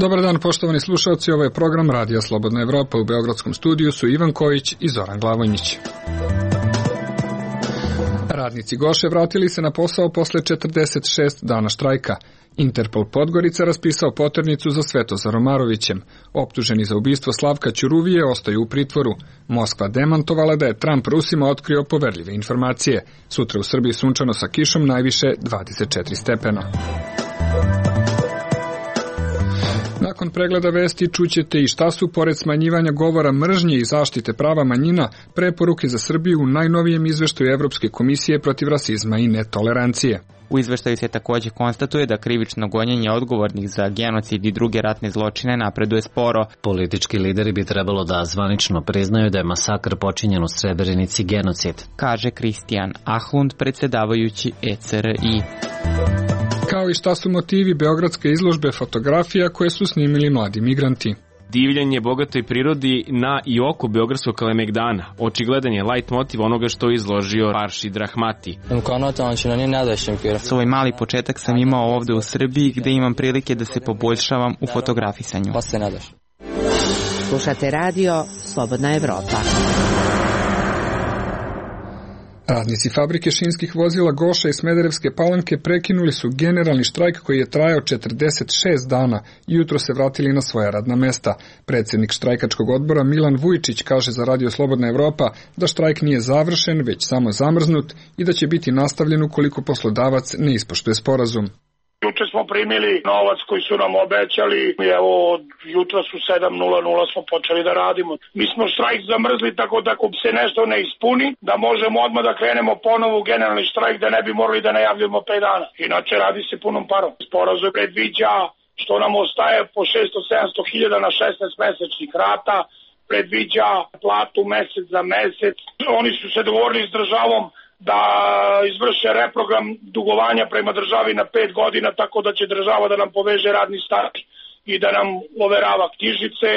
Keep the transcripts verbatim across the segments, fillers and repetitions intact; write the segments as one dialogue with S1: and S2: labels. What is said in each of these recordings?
S1: Dobar dan, poštovani slušalci, ovo je program Radija Slobodna Evropa. U beogradskom studiju su Ivan Kojić i Zoran Glavonjić. Radnici Goše vratili se na posao posle četrdeset šest dana štrajka. Interpol Podgorica raspisao poternicu za Svetozar Omarovićem. Optuženi za ubistvo Slavka Ćuruvije ostaju u pritvoru. Moskva demantovala da je Trump Rusima otkrio poverljive informacije. Sutra u Srbiji sunčano sa kišom, najviše dvadeset četiri stepena. Nakon pregleda vesti čućete i šta su, pored smanjivanja govora mržnje i zaštite prava manjina, preporuke za Srbiju u najnovijem izveštaju Evropske komisije protiv rasizma i netolerancije.
S2: U izveštaju se takođe konstatuje da krivično gonjenje odgovornih za genocid i druge ratne zločine napreduje sporo.
S3: Politički lideri bi trebalo da zvanično priznaju da je masakr počinjen u Srebrenici genocid,
S2: kaže Kristijan Ahlund, predsedavajući E C R I.
S1: Kao i šta su motivi beogradske izložbe fotografija koje su snimili mladi migranti.
S4: Divljenje bogatoj prirodi na i oko beogradskog Kalemegdana. Očigledan je light motiv onoga što je izložio Faršid Rahmati.
S2: Svoj mali početak sam imao ovde u Srbiji, gde imam prilike da se poboljšavam u fotografisanju.
S5: Slušate radio Slobodna Evropa.
S1: Radnici fabrike šinskih vozila Goša i Smederevske Palanke prekinuli su generalni štrajk koji je trajao četrdeset šest dana i jutro se vratili na svoja radna mesta. Predsjednik štrajkačkog odbora Milan Vujčić kaže za Radio Slobodna Evropa da štrajk nije završen, već samo zamrznut i da će biti nastavljen ukoliko poslodavac ne ispoštuje sporazum.
S6: Juče smo primili novac koji su nam obećali i evo od jutra su sedam nula nula smo počeli da radimo. Mi smo štrajk zamrzli tako da ako se nešto ne ispuni, da možemo odmah da krenemo ponovo u generalni štrajk, da ne bi morali da najavljamo pet dana. Inače radi se punom parom. Sporazum predviđa što nam ostaje po šesto sedamsto hiljada na šesnaest mesečnih rata, predviđa platu mesec za mesec. Oni su se dogovorili s državom da izvrše reprogram dugovanja prema državi na pet godina, tako da će država da nam poveže radni staž i da nam overava knjižice.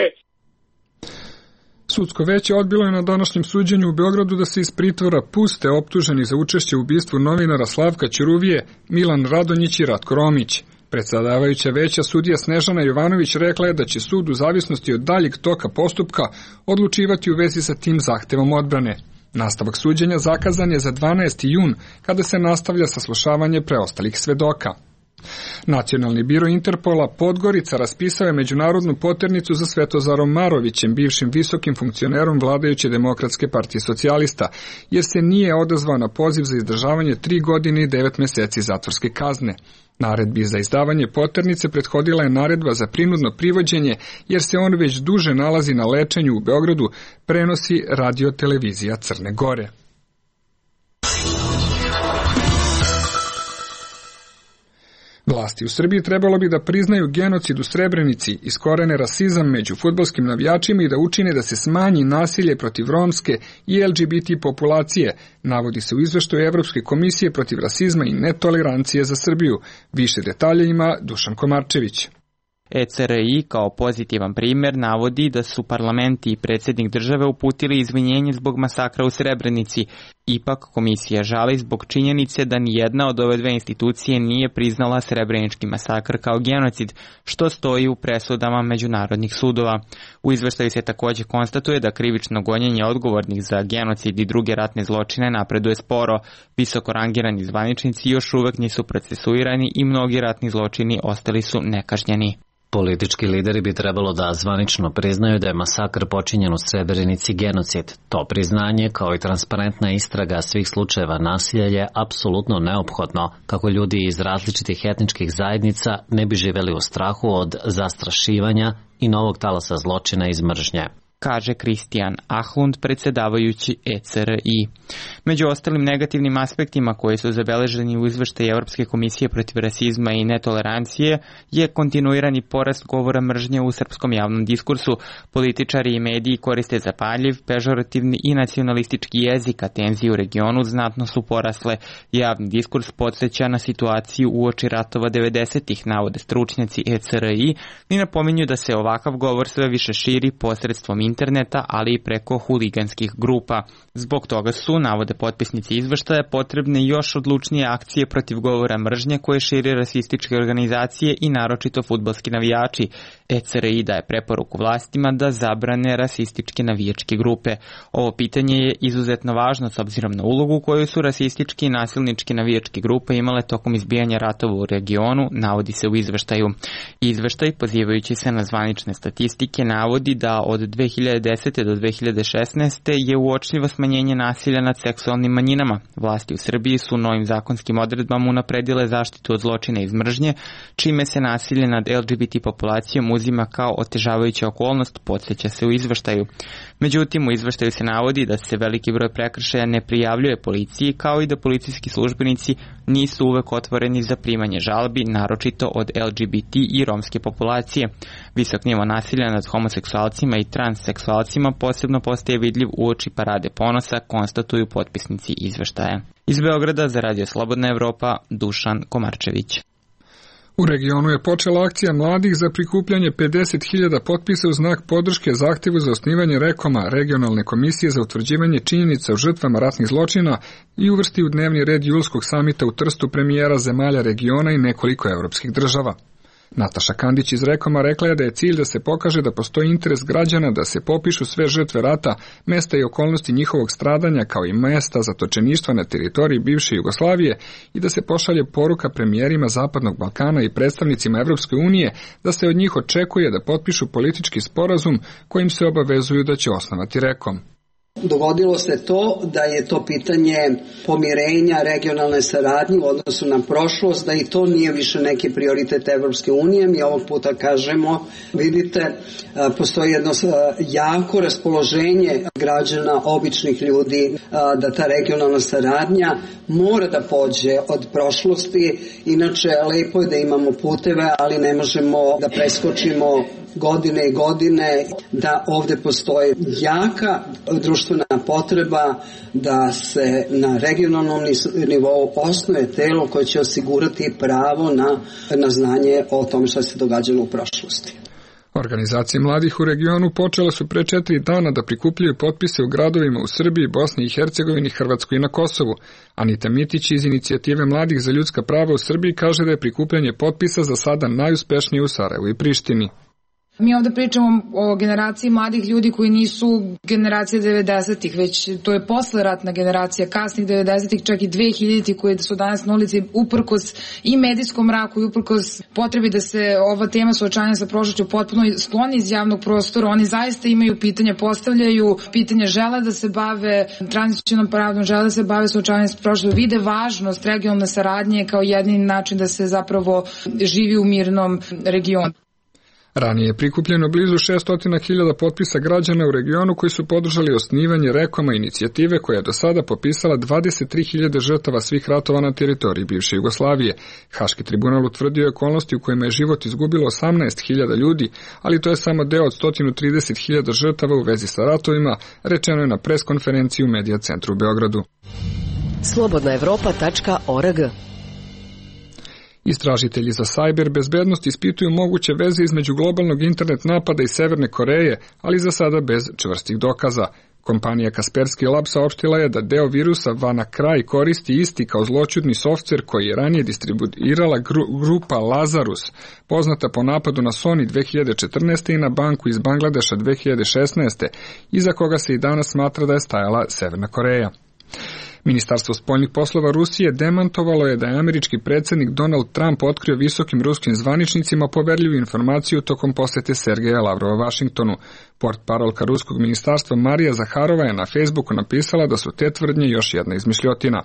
S1: Sudsko veće odbilo je na današnjem suđenju u Beogradu da se iz pritvora puste optuženi za učešće u ubistvu novinara Slavka Ćuruvije Milan Radonjić i Ratko Romić. Predsedavajuća veća sudija Snežana Jovanović rekla je da će sud u zavisnosti od daljeg toka postupka odlučivati u vezi sa tim zahtevom odbrane. Nastavak suđenja zakazan je za dvanaesti jun, kada se nastavlja saslušavanje preostalih svedoka. Nacionalni biro Interpola Podgorica raspisao je međunarodnu poternicu za Svetozarom Omarovićem, bivšim visokim funkcionerom vladajuće Demokratske partije socijalista, jer se nije odazvao na poziv za izdržavanje tri godine i devet meseci zatvorske kazne. Naredbi za izdavanje poternice prethodila je naredba za prinudno privođenje, jer se on već duže nalazi na lečenju u Beogradu, prenosi radio televizija Crne Gore. Vlasti u Srbiji trebalo bi da priznaju genocid u Srebrenici, iskorene rasizam među fudbalskim navijačima i da učine da se smanji nasilje protiv romske i L G B T populacije, navodi se u izveštaju Evropske komisije protiv rasizma i netolerancije za Srbiju. Više detalja ima Dušan Komarčević.
S2: E C R I kao pozitivan primjer navodi da su parlamenti i predsjednik države uputili izvinjenje zbog masakra u Srebrenici. Ipak komisija žali zbog činjenice da nijedna od ove dve institucije nije priznala srebrenički masakr kao genocid, što stoji u presudama međunarodnih sudova. U izveštaju se također konstatuje da krivično gonjenje odgovornih za genocid i druge ratne zločine napreduje sporo. Visoko rangirani zvaničnici još uvek nisu procesuirani i mnogi ratni zločini ostali su nekažnjeni.
S3: Politički lideri bi trebalo da zvanično priznaju da je masakr počinjen u Srebrenici genocid. To priznanje, kao i transparentna istraga svih slučajeva nasilja, je apsolutno neophodno kako ljudi iz različitih etničkih zajednica ne bi živeli u strahu od zastrašivanja i novog talasa zločina iz mržnje,
S2: kaže Kristijan Ahlund, predsedavajući E C R I. Među ostalim negativnim aspektima koji su zabeleženi u izveštaju Evropske komisije protiv rasizma i netolerancije je kontinuirani porast govora mržnje u srpskom javnom diskursu. Političari i mediji koriste zapaljiv, pežorativni i nacionalistički jezik, a tenzije u regionu znatno su porasle. Javni diskurs podsjeća na situaciju uoči ratova devedesetih, navode stručnjaci E C R I, i napominju da se ovakav govor sve više širi posredstvom interneta interneta, ali i preko huliganskih grupa. Zbog toga su, navode potpisnici izveštaja, potrebne još odlučnije akcije protiv govora mržnje koje šire rasističke organizacije i naročito fudbalski navijači. E C R I daje preporuku vlastima da zabrane rasističke navijačke grupe. Ovo pitanje je izuzetno važno s obzirom na ulogu koju su rasistički i nasilničke navijačke grupe imale tokom izbijanja ratova u regionu, navodi se u izveštaju. Izveštaj, pozivajući se na zvanične statistike, navodi da od dve hiljade desete do dve hiljade šesnaeste. je uočljivo smanjenje nasilja nad seksualnim manjinama. Vlasti u Srbiji su novim zakonskim odredbama unapredile zaštitu od zločina iz mržnje, čime se nasilje nad L G B T populacijom uzima kao otežavajuća okolnost, podsjeća se u izveštaju. Međutim, u izveštaju se navodi da se veliki broj prekršaja ne prijavljuje policiji, kao i da policijski službenici nisu uvek otvoreni za primanje žalbi, naročito od L G B T i romske populacije. Visok nivo nasilja nad homoseksualcima i transseksualcima posebno postaje vidljiv uoči Parade ponosa, konstatuju potpisnici izveštaja. Iz Beograda za Radio Slobodna Evropa, Dušan Komarčević.
S1: U regionu je počela akcija mladih za prikupljanje pedeset hiljada potpisa u znak podrške zahtevu za osnivanje REKOM-a, Regionalne komisije za utvrđivanje činjenica o žrtvama ratnih zločina, i uvrsti u dnevni red julskog samita u Trstu premijera zemalja regiona i nekoliko evropskih država. Nataša Kandić iz REKOM-a rekla je da je cilj da se pokaže da postoji interes građana da se popišu sve žrtve rata, mesta i okolnosti njihovog stradanja, kao i mesta zatočeništva na teritoriji bivše Jugoslavije, i da se pošalje poruka premijerima Zapadnog Balkana i predstavnicima Evropske unije da se od njih očekuje da potpišu politički sporazum kojim se obavezuju da će osnovati REKOM.
S7: Dogodilo se to da je to pitanje pomirenja, regionalne saradnje u odnosu na prošlost, da i to nije više neki prioritet Evropske unije. Mi ovog puta kažemo, vidite, postoji jedno jako raspoloženje građana, običnih ljudi, da ta regionalna saradnja mora da pođe od prošlosti. Inače, lepo je da imamo puteve, ali ne možemo da preskočimo godine i godine, da ovde postoji jaka društvena potreba da se na regionalnom nivou osnuje telo koje će osigurati pravo na, na znanje o tom što se događalo u prošlosti.
S1: Organizacije mladih u regionu počele su pre četiri dana da prikupljaju potpise u gradovima u Srbiji, Bosni i Hercegovini, Hrvatskoj i na Kosovu. Anita Mitić iz inicijative Mladih za ljudska prava u Srbiji kaže da je prikupljanje potpisa za sada najuspešnije u Sarajevu i Prištini.
S8: Mi ovde pričamo o generaciji mladih ljudi koji nisu generacija devedesetih, već to je posleratna generacija, kasnih devedesetih, čak i dve hiljaditih koji su danas na ulici uprkos i medijskom mraku i uprkos potrebi da se ova tema suočavanja sa prošlošću potpuno skloni iz javnog prostora. Oni zaista imaju pitanja, postavljaju pitanja, žele da se bave tranzicionom pravdom, žele da se bave suočavanjem sa prošlošću, vide važnost regionalne saradnje kao jedini način da se zapravo živi u mirnom regionu.
S1: Ranije je prikupljeno blizu šesto hiljada potpisa građana u regionu koji su podržali osnivanje REKOM-a, inicijative koja je do sada popisala dvadeset tri hiljade žrtava svih ratova na teritoriji bivše Jugoslavije. Haški tribunal utvrdio okolnosti u kojima je život izgubilo osamnaest hiljada ljudi, ali to je samo deo od sto trideset hiljada žrtava u vezi sa ratovima, rečeno je na preskonferenciji u Medija centru u Beogradu.
S5: slobodna evropa tačka org.
S1: Istražitelji za sajber bezbednost ispituju moguće veze između globalnog internet napada i Severne Koreje, ali za sada bez čvrstih dokaza. Kompanija Kaspersky Lab saopštila je da deo virusa WannaCry koristi isti kao zloćudni softver koji je ranije distribuirala gru, grupa Lazarus, poznata po napadu na Sony dve hiljade četrnaeste. i na banku iz Bangladeša dve hiljade šesnaeste. iza koga se i danas smatra da je stajala Severna Koreja. Ministarstvo spoljnih poslova Rusije demantovalo je da je američki predsjednik Donald Trump otkrio visokim ruskim zvaničnicima poverljivu informaciju tokom posete Sergeja Lavrova Vašingtonu. Portparolka ruskog ministarstva Marija Zaharova je na Facebooku napisala da su te tvrdnje još jedna izmišljotina.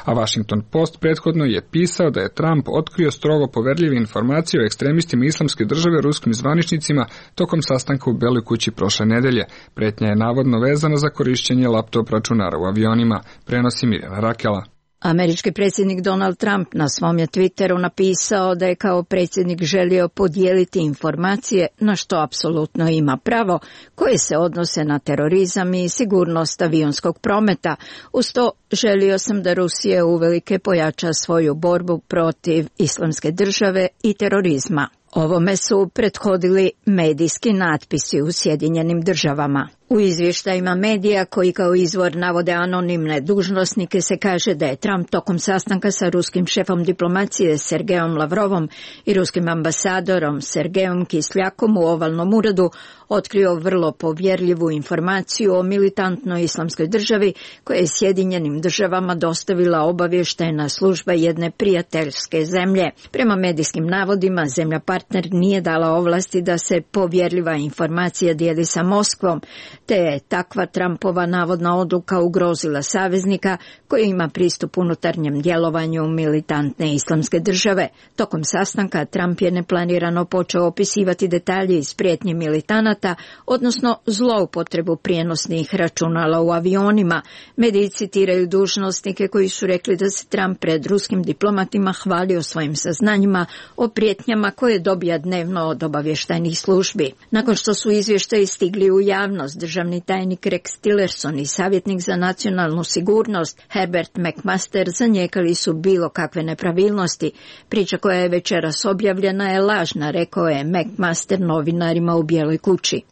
S1: A Washington Post prethodno je pisao da je Trump otkrio strogo poverljive informacije o ekstremistima islamske države ruskim zvaničnicima tokom sastanka u Beloj kući prošle nedelje. Pretnja je navodno vezana za korišćenje laptop računara u avionima, prenosi Mirjana Rakela.
S9: Američki predsjednik Donald Trump na svom je Twitteru napisao da je kao predsjednik želio podijeliti informacije, na što apsolutno ima pravo, koje se odnose na terorizam i sigurnost avionskog prometa. Uz to želio sam da Rusija uvelike pojača svoju borbu protiv islamske države i terorizma. Ovome su prethodili medijski natpisi u Sjedinjenim državama. U izvještajima medija koji kao izvor navode anonimne dužnosnike se kaže da je Trump tokom sastanka sa ruskim šefom diplomacije Sergejom Lavrovom i ruskim ambasadorom Sergejom Kisljakom u ovalnom uredu otkrio vrlo povjerljivu informaciju o militantnoj islamskoj državi koja je Sjedinjenim državama dostavila obavještajna služba jedne prijateljske zemlje. Prema medijskim navodima, zemlja partner nije dala ovlasti da se povjerljiva informacija dijeli sa Moskvom, te je takva Trumpova navodna odluka ugrozila saveznika koji ima pristup unutarnjem djelovanju militantne islamske države. Tokom sastanka Trump je neplanirano počeo opisivati detalje iz prijetnje militanata, odnosno zloupotrebu prijenosnih računala u avionima. Mediji citiraju dužnosnike koji su rekli da se Trump pred ruskim diplomatima hvalio svojim saznanjima o prijetnjama koje dobija dnevno od obavještajnih službi. Nakon što su izvještaji stigli u javnost, državni tajnik Rex Tillerson i savjetnik za nacionalnu sigurnost Herbert McMaster zanijekali su bilo kakve nepravilnosti. Priča koja je večeras objavljena je lažna, rekao je McMaster novinarima u Bijeloj kući.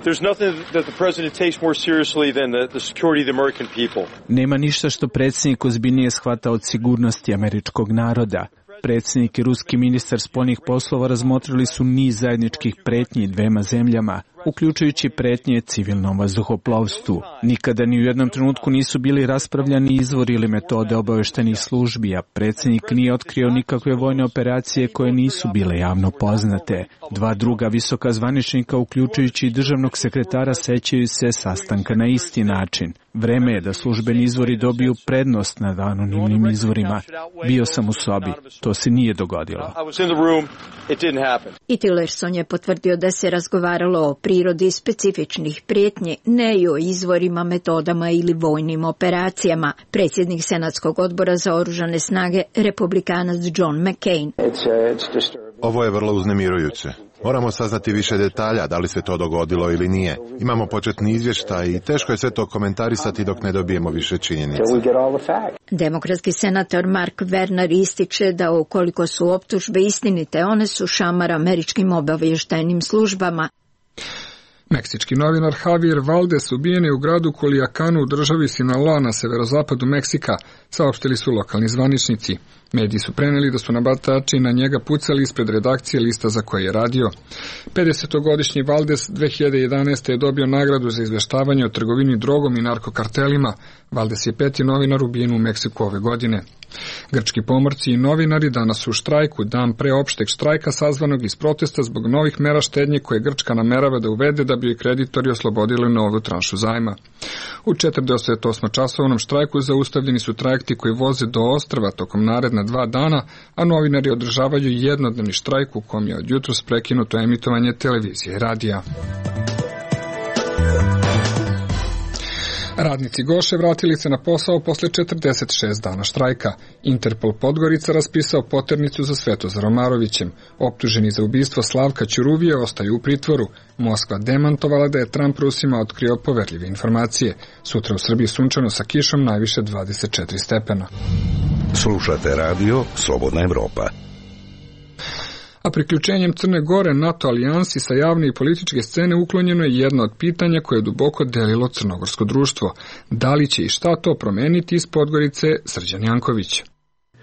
S10: Nema ništa što predsjednik ozbiljnije shvata od sigurnosti američkog naroda. Predsjednik i ruski ministar spoljnih poslova razmotrili su niz zajedničkih pretnji dvema zemljama, uključujući pretnje civilnom vazduhoplovstvu. Nikada ni u jednom trenutku nisu bili raspravljani izvori ili metode obavještajnih službi, a predsjednik nije otkrio nikakve vojne operacije koje nisu bile javno poznate. Dva druga visoka zvaničnika, uključujući i državnog sekretara, sećaju se sastanka na isti način. Vreme je da službeni izvori dobiju prednost nad anonimnim izvorima. Bio sam u sobi. To se nije dogodilo.
S9: I Tillerson je potvrdio da se razgovaralo o prirodi specifičnih prijetnji, ne i o izvorima, metodama ili vojnim operacijama. Predsjednik Senatskog odbora za oružane snage, republikanac John McCain.
S11: Ovo je vrlo uznemirujuće. Moramo saznati više detalja, da li se to dogodilo ili nije. Imamo početni izvještaj i teško je sve to komentarisati dok ne dobijemo više činjenica.
S9: Demokratski senator Mark Werner ističe da ukoliko su optužbe istinite, one su šamar američkim obavještajnim službama.
S1: Meksički novinar Javier Valdez ubijen je u gradu Culiacanu u državi Sinaloa na severozapadu Meksika, saopštili su lokalni zvaničnici. Mediji su preneli da su nabatači na njega pucali ispred redakcije lista za koje je radio. pedesetogodišnji Valdez dve hiljade jedanaeste. je dobio nagradu za izveštavanje o trgovini drogom i narkokartelima. Valdez je peti novinar ubijen u Meksiku ove godine. Grčki pomorci i novinari danas su u štrajku, dan pre opšteg štrajka sazvanog iz protesta zbog novih mera štednje koje Grčka namerava da uvede da bi joj kreditori oslobodili novu tranšu zajma. U četrdeset osam časovnom štrajku zaustavljeni su trajekti koji voze do ostrva tokom naredna dva dana, a novinari održavaju jednodnevni štrajk u kom je od jutros prekinuto emitovanje televizije i radija. Radnici Goše vratili se na posao posle četrdeset šest dana štrajka. Interpol Podgorica raspisao poternicu za Svetozar Omarovićem. Optuženi za ubistvo Slavka Ćuruvije ostaju u pritvoru. Moskva demantovala da je Trump Rusima otkrio poverljive informacije. Sutra u Srbiji sunčano sa kišom, najviše dvadeset četiri stepena.
S12: Slušate radio Slobodna Evropa.
S1: A priključenjem Crne Gore NATO alijansi sa javne i političke scene uklonjeno je jedno od pitanja koje je duboko delilo crnogorsko društvo. Da li će i šta to promeniti iz Podgorice, Srđan Janković?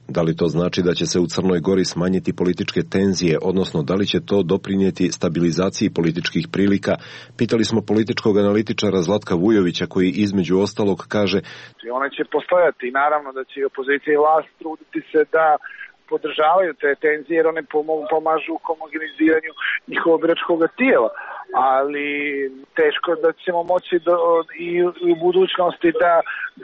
S13: Da li to znači da će se u Crnoj Gori smanjiti političke tenzije, odnosno da li će to doprinijeti stabilizaciji političkih prilika? Pitali smo političkog analitičara Zlatka Vujovića koji između ostalog kaže:
S14: One će postojati i naravno da će i opozicija i vlast truditi se da podržavaju te tenzije jer one pomažu u homogeniziranju njihovog biračkog tijela, ali teško da ćemo moći do, i u budućnosti da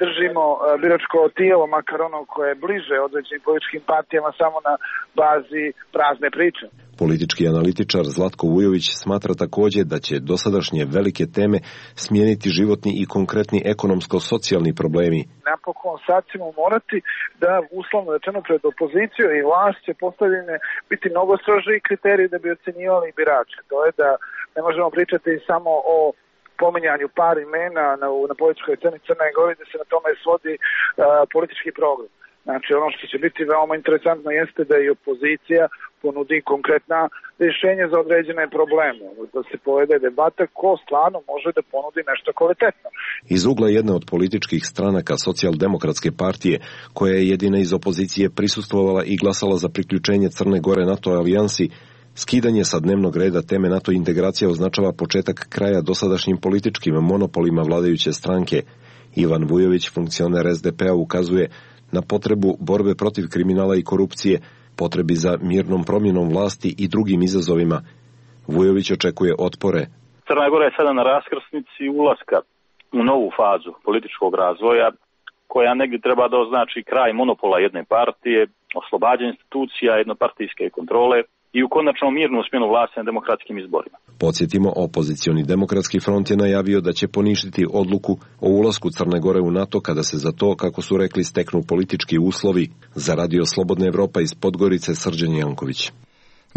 S14: držimo biračko tijelo, makar ono koje je bliže određenim političkim partijama, samo na bazi prazne priče.
S13: Politički analitičar Zlatko Vujović smatra također da će dosadašnje velike teme smijeniti životni i konkretni ekonomsko-socijalni problemi.
S14: Napokon sad ćemo morati da, uslovno rečeno, pred opozicijom i vlast će postavljene biti mnogo strožiji kriteriji da bi ocenjivali birače. To je da ne možemo pričati samo o pominjanju par imena na, na političkoj sceni Crne Gore, da se na tome svodi uh, politički program. Znači, ono što će biti veoma interesantno jeste da i opozicija ponudi konkretna rješenje za određene probleme, da se povede debata ko stvarno može da ponudi nešto kvalitetno.
S13: Iz ugla jedne od političkih stranaka Socijaldemokratske partije, koja je jedina iz opozicije prisustvovala i glasala za priključenje Crne Gore NATO alijansi, skidanje sa dnevnog reda teme NATO integracija označava početak kraja dosadašnjim političkim monopolima vladajuće stranke. Ivan Vujović, funkcioner es de pe a, ukazuje na potrebu borbe protiv kriminala i korupcije, potrebi za mirnom promjenom vlasti i drugim izazovima. Vujović očekuje otpore.
S15: Crna Gora je sada na raskrsnici ulaska u novu fazu političkog razvoja, koja negdje treba da označi kraj monopola jedne partije, oslobađanje institucija, jednopartijske kontrole i u konačno mirnu smjenu vlasti na demokratskim izborima.
S13: Podsjetimo, opozicioni demokratski front je najavio da će poništiti odluku o ulasku Crne Gore u NATO kada se za to, kako su rekli, steknu politički uslovi. Za Radio Slobodna Evropa iz Podgorice, Srđan Janković.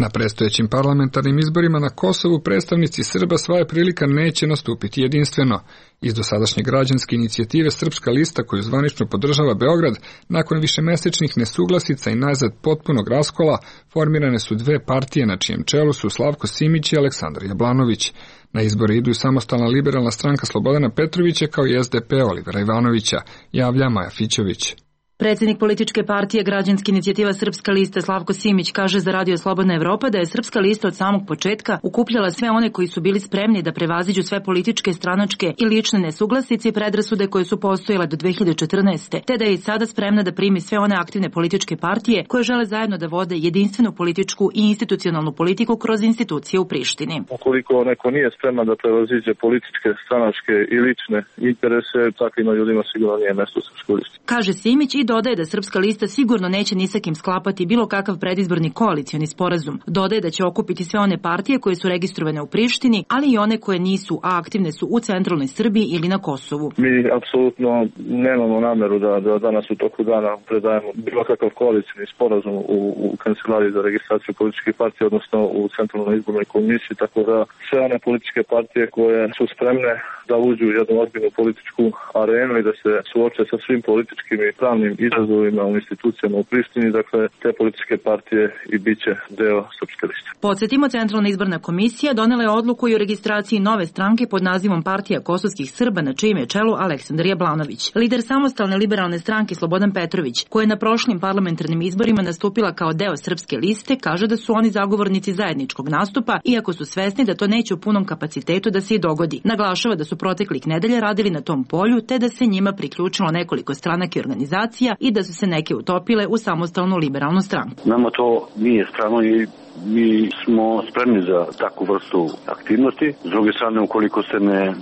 S1: Na predstojećim parlamentarnim izborima na Kosovu predstavnici Srba svoje prilika neće nastupiti jedinstveno. Iz dosadašnje građanske inicijative Srpska lista, koju zvanično podržava Beograd, nakon višemesečnih nesuglasica i najzad potpunog raskola, formirane su dve partije na čijem čelu su Slavko Simić i Aleksandar Jablanović. Na izbore idu i samostalna liberalna stranka Slobodana Petrovića kao i es de pe Olivera Ivanovića, javlja Maja Fićović.
S16: Predsjednik političke partije Građanska inicijativa Srpska lista Slavko Simić kaže za Radio Slobodna Evropa da je Srpska lista od samog početka ukupljala sve one koji su bili spremni da prevaziđu sve političke, stranačke i lične nesuglasice i predrasude koje su postojale do dve hiljade četrnaeste. Te da je i sada spremna da primi sve one aktivne političke partije koje žele zajedno da vode jedinstvenu političku i institucionalnu politiku kroz institucije u Prištini.
S17: Ukoliko neko nije spreman da prevaziđe političke, stranačke i lične interese, takvim ljudima sigurno nije mesto u Srpskoj listi.
S16: Kaže Simić i dodaje da Srpska lista sigurno neće ni sa kim sklapati bilo kakav predizborni koalicioni sporazum. Dodaje da će okupiti sve one partije koje su registrovane u Prištini, ali i one koje nisu, a aktivne su u centralnoj Srbiji ili na Kosovu.
S17: Mi apsolutno nemamo nameru da, da danas u toku dana predajemo bilo kakav koalicioni sporazum u, u kancelariji za registraciju političkih partija, odnosno u centralnoj izbornoj komisiji, tako da sve one političke partije koje su spremne da uđu u jednu ozbiljnu političku arenu i da se suoče sa svim političkim i pravnim izazovima u institucijama u Prištini, dakle te političke partije i bit će deo Srpske liste.
S16: Podsjetimo, Centralna izborna komisija donela je odluku i o registraciji nove stranke pod nazivom Partija kosovskih Srba, na čijem je čelu Aleksandar Jablanović. Lider samostalne liberalne stranke Slobodan Petrović, koja je na prošlim parlamentarnim izborima nastupila kao deo Srpske liste, kaže da su oni zagovornici zajedničkog nastupa, iako su svesni da to neće u punom kapacitetu da se i dogodi. Naglašava da su proteklih nedelja radili na tom polju, te da se njima priključilo nekoliko stranaka i organizacija i da su se neke utopile u samostalnu liberalnu stranku.
S15: Nama to nije strano i mi smo spremni za takvu vrstu aktivnosti. S druge strane, ukoliko se ne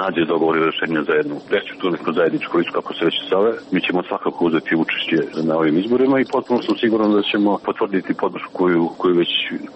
S15: nađe dogovor i rešenje za jednu veću tu neku zajedničku listu, kako se već zove, mi ćemo svakako uzeti učešće na ovim izborima i potpuno sam siguran da ćemo potvrditi podršku koju, koju već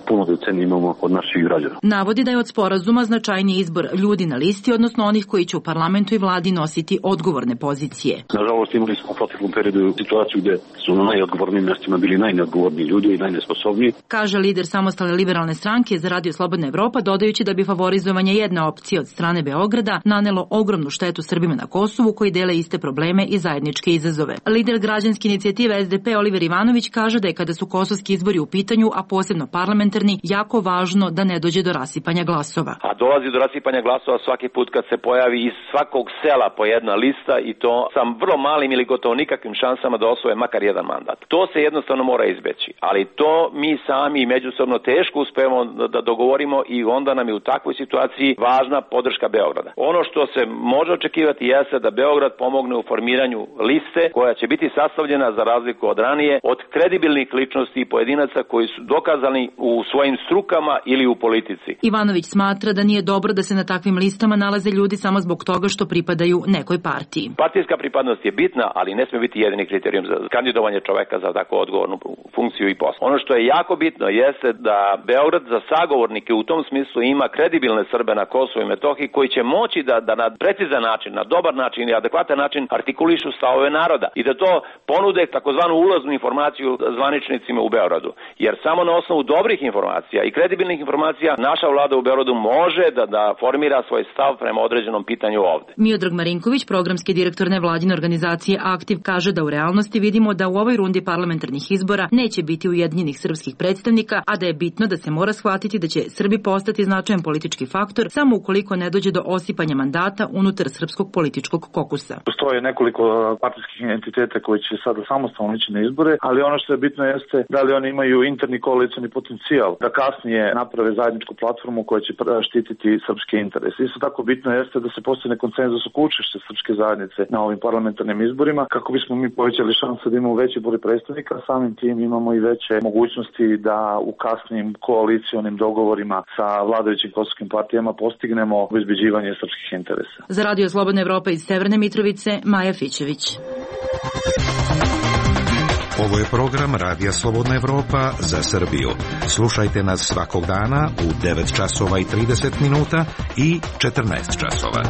S15: puno decenija imamo od naših građana.
S16: Navodi da je od sporazuma značajniji izbor ljudi na listi, odnosno onih koji će u parlamentu i vladi nositi odgovorne pozicije.
S15: Nažalost, imali smo u proteklom periodu situaciju gde su na najodgovornijim mjestima bili najneodgovorniji ljudi i najnesposobniji.
S16: Kaže lider samostalne liberalne stranke za Radio Slobodna Evropa, dodajući da bi favorizovanje jedne opcije od strane Beograda nanelo ogromnu štetu Srbima na Kosovu koji dele iste probleme i zajedničke izazove. Lider građanske inicijative es de pe Oliver Ivanović kaže da je kada su kosovski izbori u pitanju, a posebno parlamentarni, jako važno da ne dođe do rasipanja glasova.
S18: A dolazi do rasipanja glasova svaki put kad se pojavi iz svakog sela po jedna lista i to sa vrlo malim ili gotovo nikakvim šansama da osvoje makar jedan mandat. To se jednostavno mora izbeći, ali to mi sami međusobno teško uspemo da dogovorimo i onda nam je u takvoj situaciji važna podrška Beograda. Ono što se može očekivati jeste da Beograd pomogne u formiranju liste koja će biti sastavljena, za razliku od ranije, od kredibilnih ličnosti i pojedinaca koji su dokazani u svojim strukama ili u politici.
S16: Ivanović smatra da nije dobro da se na takvim listama nalaze ljudi samo zbog toga što pripadaju nekoj partiji.
S18: Partijska pripadnost je bitna, ali ne sme biti jedini kriterijum za kandidovanje čoveka za tako odgovornu funkciju i posao. Ono što je jako bitno jeste da Beograd za sagovornike u tom smislu ima kredibilne Srbe na Kosovu i Metohiji koji će moći moći da, da na precizan način, na dobar način i adekvatan način artikulišu stavove naroda i da to ponude takozvanu ulaznu informaciju zvaničnicima u Beogradu. Jer samo na osnovu dobrih informacija i kredibilnih informacija naša vlada u Beogradu može da, da formira svoj stav prema određenom pitanju ovde.
S16: Miodrag Marinković, programski direktor nevladine organizacije Aktiv, kaže da u realnosti vidimo da u ovoj rundi parlamentarnih izbora neće biti ujedinjenih srpskih predstavnika, a da je bitno da se mora shvatiti da će Srbi postati značajan politički faktor samo ukoliko ne dođe do osipanja mandata unutar srpskog političkog kokusa.
S17: Postoje nekoliko partijskih entiteta koji će sada samostalno ići na izbore, ali ono što je bitno jeste da li oni imaju interni koalicioni potencijal, da kasnije naprave zajedničku platformu koja će štititi srpske interese. Isto tako bitno jeste da se postigne konsenzus oko učešća srpske zajednice na ovim parlamentarnim izborima, kako bismo mi povećali šanse da imamo veći broj predstavnika, samim tim imamo i veće mogućnosti da u kasnim koalicionim dogovorima sa vladajućim kosovskim partijama postignemo obezbeđivanje srpskih interesa.
S16: Za Radio Slobodna Evropa iz Severne Mitrovice, Maja Fićević.
S12: Ovo je program Radija Slobodna Evropa za Srbiju. Slušajte nas svakog dana u devet časova i trideset minuta i četrnaest časova.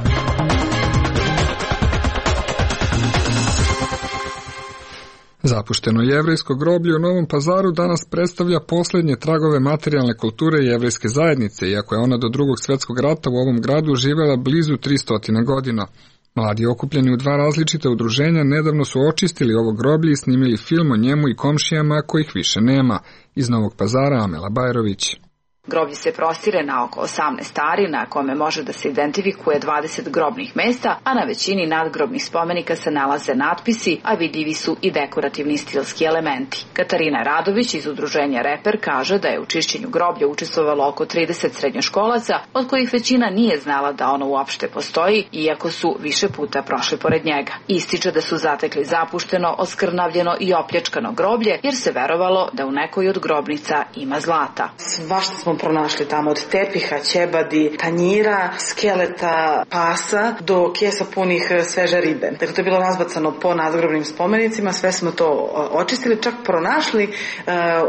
S1: Zapušteno jevrejsko groblje u Novom Pazaru danas predstavlja posljednje tragove materijalne kulture jevrejske zajednice, iako je ona do drugog svjetskog rata u ovom gradu živjela blizu tristo godina. Mladi okupljeni u dva različita udruženja nedavno su očistili ovo groblje i snimili film o njemu i komšijama kojih više nema. Iz Novog Pazara, Amela Bajrović.
S19: Groblje se prostire na oko osamnaest ari, na kome može da se identifikuje dvadeset grobnih mesta, a na većini nadgrobnih spomenika se nalaze natpisi, a vidljivi su i dekorativni stilski elementi. Katarina Radović iz udruženja Reper kaže da je u čišćenju groblja učestvovalo oko trideset srednjoškolaca, od kojih većina nije znala da ono uopšte postoji, iako su više puta prošli pored njega. Ističe da su zatekli zapušteno, oskrnavljeno i opljačkano groblje, jer se verovalo da u nekoj od grobnica ima zlata.
S20: Svašta smo pronašli tamo, od tepiha, ćebadi, tanjira, skeleta, pasa do kesa punih sveže ribe. Dakle, to je bilo razbacano po nadgrobnim spomenicima, sve smo to očistili, čak pronašli, eh,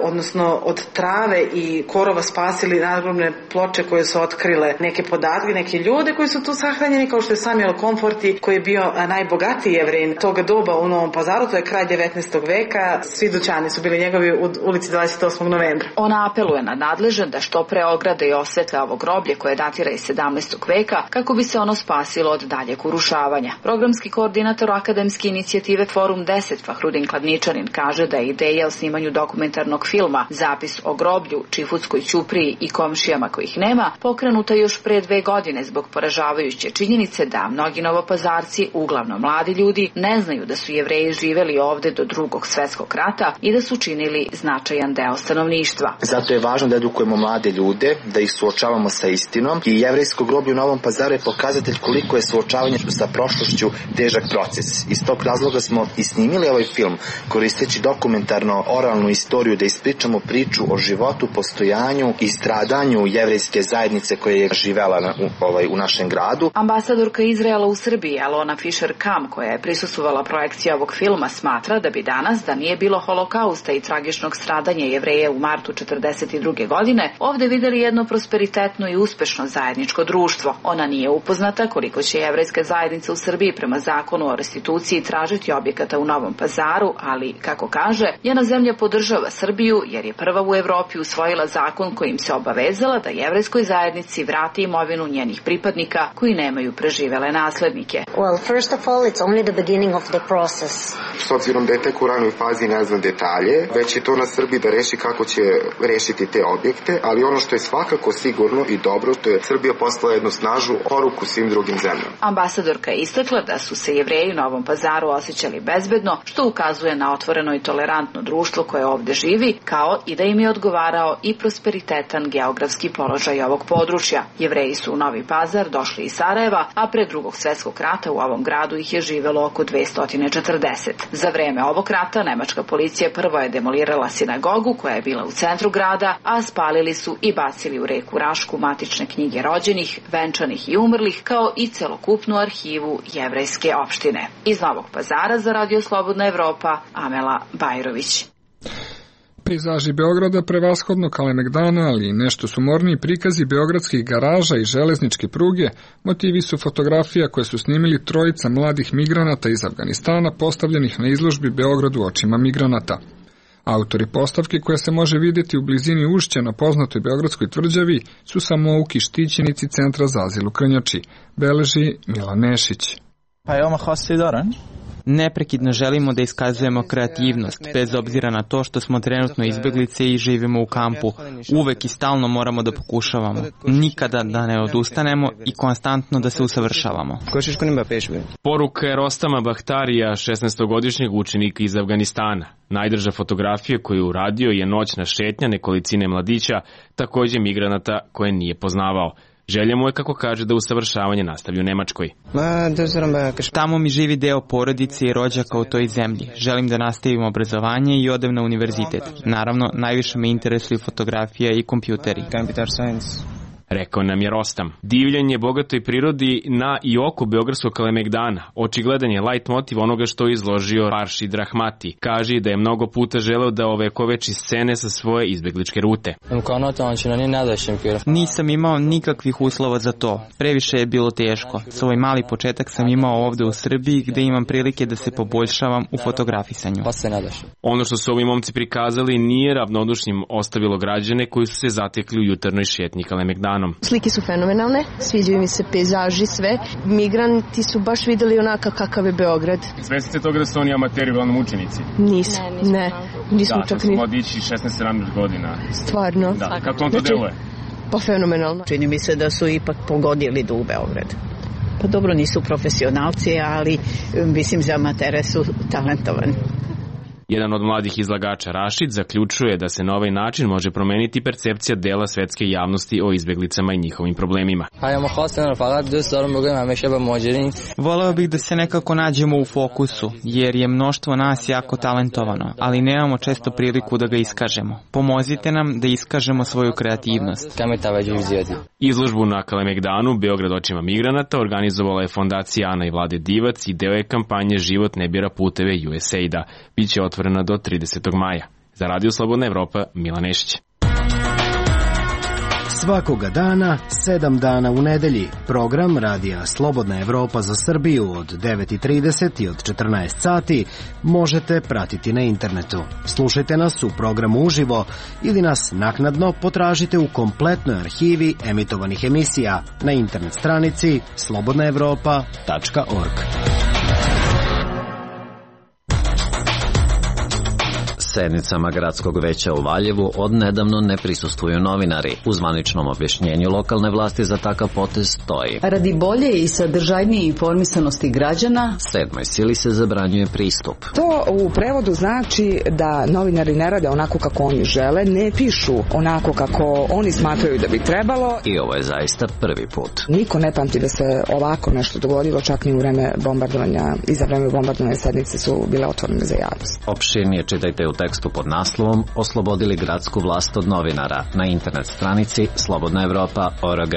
S20: odnosno od trave i korova spasili nadgrobne ploče koje su otkrile neke podatke, neke ljude koji su tu sahranjeni, kao što je Samuel Komforti, koji je bio najbogatiji Jevrin toga doba u Novom Pazaru, to je kraj devetnaestog veka, svi dućani su bili njegovi u ulici dvadeset osmog novembra.
S19: Ona apeluje na nadležan da što pre ograde i osvetle ovo groblje koje datira iz sedamnaestog veka kako bi se ono spasilo od daljeg urušavanja. Programski koordinator akademske inicijative Forum deset Fahrudin Kladničanin kaže da je ideja o snimanju dokumentarnog filma Zapis o groblju, Čifutskoj ćupriji i komšijama kojih nema pokrenuta još pre dve godine zbog poražavajuće činjenice da mnogi novopazarci, uglavnom mladi ljudi, ne znaju da su Jevreji živeli ovde do drugog svetskog rata i da su činili značajan deo stanovništva.
S21: Zato je važno da edukujemo mlade ljude, da ih suočavamo sa istinom, i jevrejsko groblje u Novom Pazaru je pokazatelj koliko je suočavanje sa prošlošću težak proces. Iz tog razloga smo i snimili ovaj film, koristeći dokumentarno oralnu istoriju da ispričamo priču o životu, postojanju i stradanju jevrejske zajednice koja je živela na, u, ovaj, u našem gradu.
S19: Ambasadorka Izraela u Srbiji, Alona Fischer-Kam, koja je prisustvovala projekciji ovog filma, smatra da bi danas, da nije bilo holokausta i tragičnog stradanja Jevreja u martu četrdeset druge godine, ovde videli jedno prosperitetno i uspešno zajedničko društvo. Ona nije upoznata koliko će jevrejska zajednica u Srbiji prema zakonu o restituciji tražiti objekata u Novom Pazaru, ali, kako kaže, njena zemlja podržava Srbiju jer je prva u Evropi usvojila zakon kojim se obavezala da jevrejskoj zajednici vrati imovinu njenih pripadnika koji nemaju preživele naslednike.
S22: Well, first of all, it's only the beginning of the process.
S23: S obzirom da je tek u ranoj fazi ne znam detalje, već je to na Srbiji da reši kako će rešiti te objekte, ali ono što je svakako sigurno i dobro, to je Srbija poslala jednu snažnu poruku svim drugim zemljama.
S19: Ambasadorka je istakla da su se Jevreji u Novom Pazaru osjećali bezbedno, što ukazuje na otvoreno i tolerantno društvo koje ovde živi, kao i da im je odgovarao i prosperitetan geografski položaj ovog područja. Jevreji su u Novi Pazar došli iz Sarajeva, a pre drugog svetskog rata u ovom gradu ih je živelo oko dvesta četrdeset. Za vreme ovog rata nemačka policija prvo je demolirala sinagogu koja je bila u centru grada, a spalili su i bacili u reku Rašku matične knjige rođenih, venčanih i umrlih, kao i celokupnu arhivu jevrejske opštine. Iz Novog Pazara za Radio Slobodna Evropa, Amela Bajrović.
S1: Pejzaži Beograda prevashodno Kalemegdana, ali i nešto sumorniji prikazi beogradskih garaža i železničke pruge, motivi su fotografija koje su snimili trojica mladih migranata iz Afganistana postavljenih na izložbi Beogradu očima migranata. Autori postavke koja se može vidjeti u blizini ušća na poznatoj beogradskoj tvrđavi su samouki štićenici Centra za azil u Krnjači, beleži Milan Nešić.
S2: Neprekidno želimo da iskazujemo kreativnost, bez obzira na to što smo trenutno izbeglice i živimo u kampu. Uvek i stalno moramo da pokušavamo, nikada da ne odustanemo i konstantno da se usavršavamo.
S3: Poruka je Rostama Bahtarija, šesnaestogodišnjeg učenika iz Afganistana. Najdrža fotografija koju je uradio je noćna šetnja nekolicine mladića, takođe migranata koje nije poznavao. Želja mu je, kako kaže, da usavršavanje nastavi u Nemačkoj.
S2: Tamo mi živi deo porodice i rođaka u toj zemlji. Želim da nastavim obrazovanje i odem na univerzitet. Naravno, najviše me interesuju fotografija i kompjuteri.
S3: Rekao nam je Rostam. Divljenje bogatoj prirodi na i oko beogradskog Kalemegdana očigledan je light motiv onoga što je izložio Aršid Rahmati. Kaže da je mnogo puta želeo da ovekoveči scene sa svoje izbegličke rute.
S2: Nisam imao nikakvih uslova za to. Previše je bilo teško. Svoj mali početak sam imao ovde u Srbiji gde imam prilike da se poboljšavam u fotografisanju.
S3: Ono što su ovi momci prikazali nije ravnodušnim ostavilo građane koji su se zatekli u jutarnoj šetnji Kalemegdana.
S4: Slike su fenomenalne, sviđaju mi se pejzaži, sve. Migranti su baš videli onaka kakav je Beograd.
S3: Svesni ste toga da su oni amateri, uglavnom učenici?
S4: Nisam, ne. ne. Nismo
S3: da,
S4: čak
S3: ni... Da, mladići šesnaest sedamnaest godina.
S4: Stvarno?
S3: Da, kako on to
S4: znači,
S3: deluje?
S4: Pa fenomenalno.
S6: Čini mi se da su ipak pogodili da u Beograd. Pa dobro, nisu profesionalci, ali mislim za amatere su talentovani.
S3: Jedan od mladih izlagača, Rašid, zaključuje da se na ovaj način može promeniti percepcija dela svetske javnosti o izbeglicama i njihovim problemima.
S2: Voleo bih da se nekako nađemo u fokusu, jer je mnoštvo nas jako talentovano, ali nemamo često priliku da ga iskažemo. Pomozite nam da iskažemo svoju kreativnost.
S3: Izložbu na Kalemegdanu, Beograd očima migranata, organizovala je fondacija Ana i Vlade Divac i deo je kampanje Život ne bira puteve U S A I D-a. Biće otvorena do tridesetog maja. Za Radio Slobodna Evropa, Milan Nešić.
S24: Svakoga dana, sedam dana u nedelji, program Radija Slobodna Evropa za Srbiju od devet i trideset i od četrnaest sati možete pratiti na internetu. Slušajte nas u programu uživo ili nas naknadno potražite u kompletnoj arhivi emitovanih emisija na internet stranici slobodna evropa tačka org.
S25: Sednicama gradskog veća u Valjevu odnedavno ne prisustvuju novinari. U zvaničnom objašnjenju lokalne vlasti za takav potez stoji:
S26: radi bolje i sadržajnije informisanosti građana,
S25: Sedmoj sili se zabranjuje pristup.
S27: To u prevodu znači da novinari ne rade onako kako oni žele, ne pišu onako kako oni smatraju da bi trebalo.
S25: I ovo je zaista prvi put.
S27: Niko ne pamti da se ovako nešto dogodilo, čak ni u vreme bombardovanja. I za vreme bombardovanja sednice su bile otvorene za javnost.
S25: Opširnije čitajte u tekstu pod naslovom Oslobodili gradsku vlast od novinara na internet stranici slobodna evropa tačka org.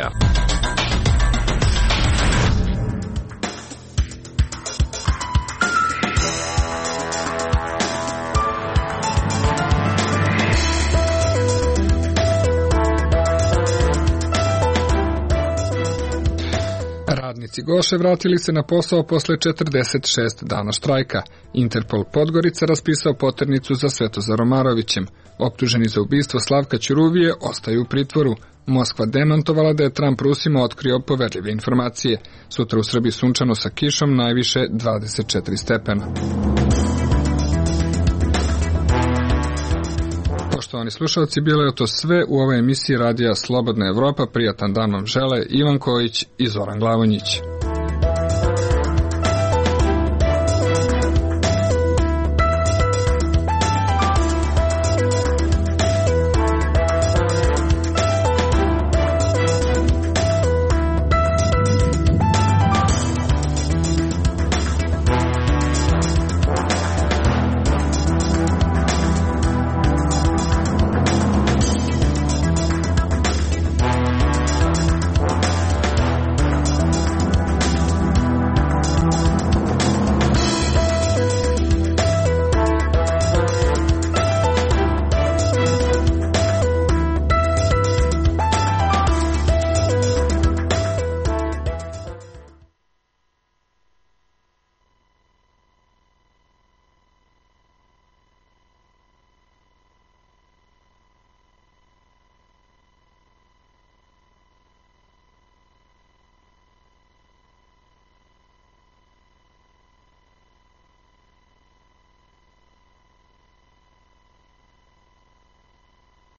S1: Radnici Goše vratili se na posao posle četrdeset šest dana štrajka. Interpol Podgorica raspisao poternicu za Svetozar Omarovićem. Optuženi za ubistvo Slavka Ćuruvije ostaju u pritvoru. Moskva demantovala da je Trump Rusima otkrio poverljive informacije. Sutra u Srbiji sunčano sa kišom, najviše dvadeset četiri stepena. Poštovani slušalci, bilo je to sve u ovoj emisiji Radija Slobodna Evropa. Prijatan dan vam žele Ivan Kojić i Zoran Glavonjić.